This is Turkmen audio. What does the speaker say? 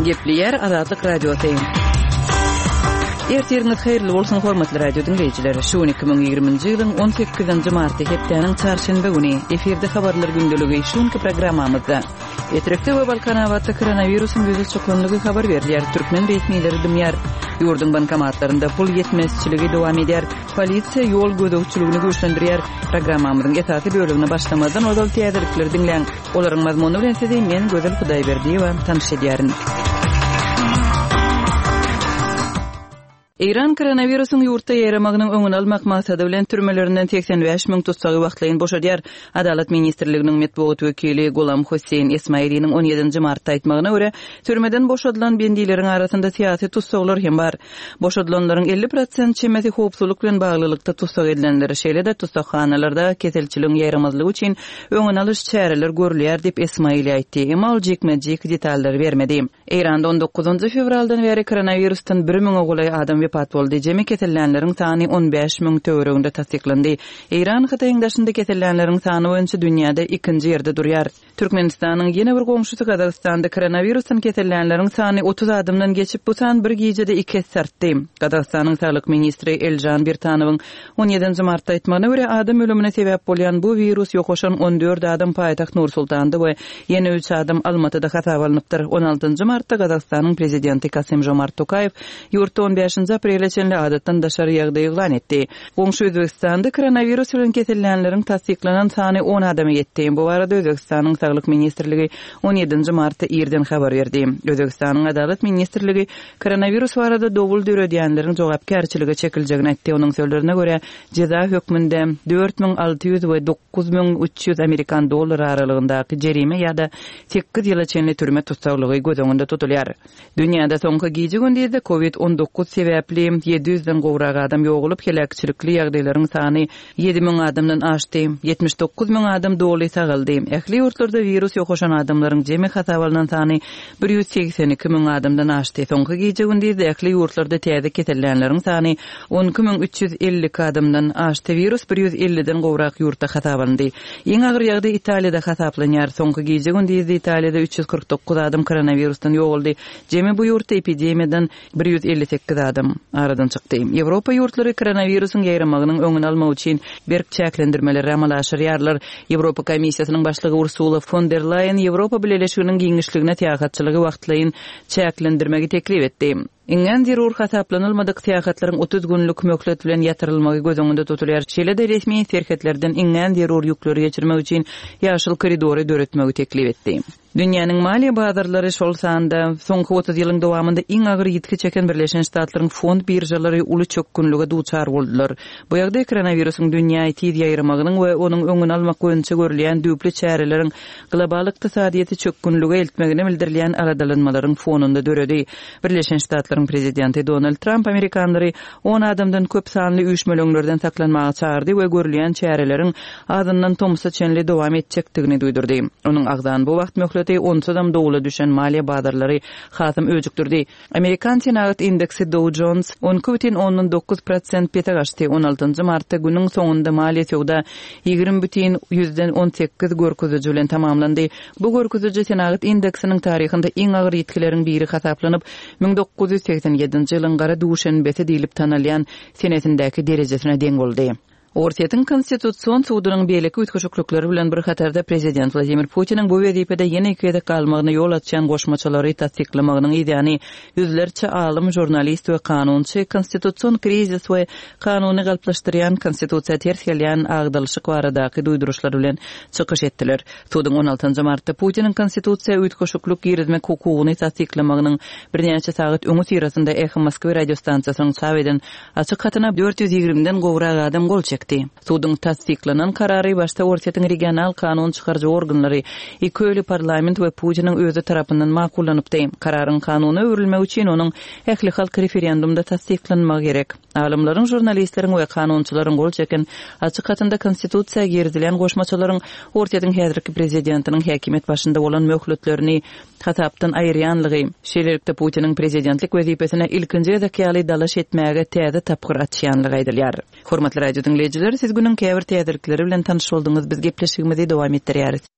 Gepleýär Azatlyk Radiosy. Ertiriňiz haýyrly bolsun, hormatly radio diňleýjiler. Şu gün 2020-nji ýylyň 18-nji marty hepdäniň çarşenbe güni. Efirde habarlar gündeligi şu günki programmamyzda. Etrekde we Balkanabatda koronawirusyň ýüze çykanlygy habar berilýär. Türkmen resmileri dymýar. Ýurduň bankomatlarynda pul ýetmezçiligi dowam edýär. Polisiýa ýol gözegçiligini güýçlendirýär. Programmamyzyň esasy bölegine başlamazdan ozal täzelikleri diňläň. Olaryň mazmuny bilen sizi men Gözel Hudaýberdiýewa tanyş edýärin. Eýran koronawirusyň ýurtda ýaýramagynyň öňüni almak maksady bilen türmelerinden 85 müň tussagy wagtlaýyn boşadýar. Adalat ministrliginiň metbugat wekili Gulam Hossein Esmailiniň 17 nji martda aýtmagyna görä, türmeden boşadylan bendileriň arasynda syýasy tussaglar hem bar. Boşadylanlaryň 50 prosent çemesi howpsuzlyk bilen baglylykda tussag edilenler, şeýle-de tussaghanalarda keselçiligiň ýaýramazlygy üçin öňüni alyş çäreler görülýär diýip, Esmaili aýtdy. Emma ol jikme-jik detallary bermedi. Eýranda on dokuzynjy fewraldan bäri koronawirusdan bir müňe golaý adam wepat boldy, jemi kesellänleriň sany 15 müň töwereginde tassyklandy. Eýran Hytaýyň daşynda kesellänleriň sany boýunça dünýäde ikinji ýerde durýar. Türkmenistanyň ýene bir goňşusy Gazagystanda koronawirusdan kesellänleriň sany 30 adamdan geçip, bu san bir gijede iki esse artdy. Gazagystanyň saglyk ministri Elžan Birtanowyň on ýedinji martda aýtmagyna görä, adam ölümine sebäp bolýan bu wirus ýokaşan 14 adam paýtagt Nur-Sultanda we Ýene üç adam Almatyda hasaba alnypdyr. On altynjy martda Gazagystanyň prezidenti Kasym-Žomart Tokaýew ýurtda on bäşinji aprele çenli adatdan daşary ýagdaý yglan etdi. Goňşy Özbegistanda koronawirus bilen kesellänleriň tassyklanan sany on adama ýetdi. Bu barada Özbegistanyň Saglyk ministrligi on ýedinji martda irden habar berdi. Özbegistanyň Adalat ministrligi koronawirus barada dowul döredýänleriň jogapkärçilige çekiljegini aýtdy. Onuň sözlerine görä, jeza hökmünde 4600 we 9300 amerikan dollary aralygyndaky jerime ýa-da sekiz ýyla çenli türme tussaglygy göz öňünde tutulýar. Dünýäde soňky gije-gündizde Covid 19 sebäpli ýedi ýüzden gowrak adam ýogalyp, heläkçilikli ýagdaýlaryň sany 7000 adamdan aşdy. 79 müň adam doly sagaldy. Ähli ýurtlarda wirus ýokaşan adamlaryň jemi hasaba alnan sany 182 müň adamdan aşdy. Soňky gije-gündizde ähli ýurtlarda täze kesellänleriň sany 12 352 adamdan aşdy. Wirus 150-den gowrak ýurtda hasaba alyndy. Iň agyr ýagdaý Italiýada hasaplanýar. Soňky gije-gündizde Italiýada 349 adam koronawirusdan ýogaldy. Jemi bu ýurtda epidemiýadan 158 adam aradan çykdy. Ýewropa ýurtlary koronawirusyň ýaýramagynyň öňüni almak üçin berk çäklendirmeleri amala aşyrýarlar. Ýewropa Komissiýasynyň başlygy Ursula fon der Laýen Ýewropa Bileleşiginiň giňişligine syýahatçylygy wagtlaýyn çäklendirmegi teklip etdi. Iňňän zerur hasaplanylmadyk syýahatlaryň 30 günlük möhlet bilen ýatyrylmagy göz öňünde tutulýar. Şeýle-de resmi serhetlerden iňňän zerur ýükleri geçirmek üçin ýaşyl koridory döretmegi teklip etdi. Dünýäniň maliýe bazarlary, şol sanda soňky 30 ýylyň dowamynda iň agyr ýitgi çeken Birleşen Ştatlaryň fond biržalary uly çökgünlige duçar boldular. Bu ýagdaý koronawirusyň dünýä tiz ýaýramagynyň we onuň öňüni almak boýunça görülýän düýpli çäreleriň global ykdysadyýeti çökgünlige eltmegine bildirilýän aladalanmalaryň fonunda döredi. Birleşen Ştatlaryň prezidenti Donald Tramp amerikanlary on adamdan köp sanly üýşmeleňlerden saklanmaga çagyrdy we görülýän çäreleriň azyndan tomsa çenli dowam etjekdigini duýdurdy. Onuň agzan bu wagt möhleti onsuzam dowla düşen maliýe bazarlary hasam öjükdirdi. Amerikan senagat indeksi Dow Jones 12,9 prosent pese gaçdy. On altynjy martda günüň soňunda maliýe söwda 20,18 görkeziji bilen tamamlandy. Bu görkeziji senagat indeksiniň taryhynda iň agyr ýitgileriň biri hasaplanyp, 1987-nji ýylyň gara duşenbesi diýlip tanalýan senesindäki derejesine deň boldy. Orsýetiň Konstitusion sudunyň beýleki üýtgeşiklikleri bilen bir hatarda prezident Wladimir Putiniň bu wezipede ýene iki gezek galmagyna ýol açýan goşmaçalary tassyklamagynyň yzýany ýüzlerçe alym, žurnalist we kanunçy konstitusion krizis we kanuny galplaşdyrýan konstitusiýa ters gelýän agdalyşyk baradaky duýduryşlar bilen çykyş etdiler. Suduň on altynjy martda Putiniň konstitusiýa üýtgeşiklik girizmek hukugyny tassyklamagynyň birnäçe sagat öňüsyrasynda Eho Moskwy radiostansiýasynyň çap eden Açyk hatyna 420-den gowrak adam gol çekdi. Suduň tassyklanan karary başda Orsýetiň regional kanun çykaryjy organlary, iki öýli parlament we Putiniň özi tarapyndan makullanypdy. Kararyň kanuna öwrülmegi üçin onuň ählihalk referendumda tassyklanmagy gerek. Alymlaryň, žurnalistleriň we kanunçylaryň gol çeken açyk hatynda konstitusiýa girizilen goşmaçalaryň Orsýetiň häzirki prezidentiniň häkimiýet başynda bolan möhletlerini hasapdan aýyrýanlygy, şeýlelikde Putiniň prezidentlik wezipesine ilkinji gezek ýaly dalaş etmäge täze tapgyr açýanlygy aýdylýar. Hormatly radio diňleýjiler, siz günüň käbir täzelikleri bilen tanyş bolduňyz, biz gepleşigimizi dowam etdirýäris.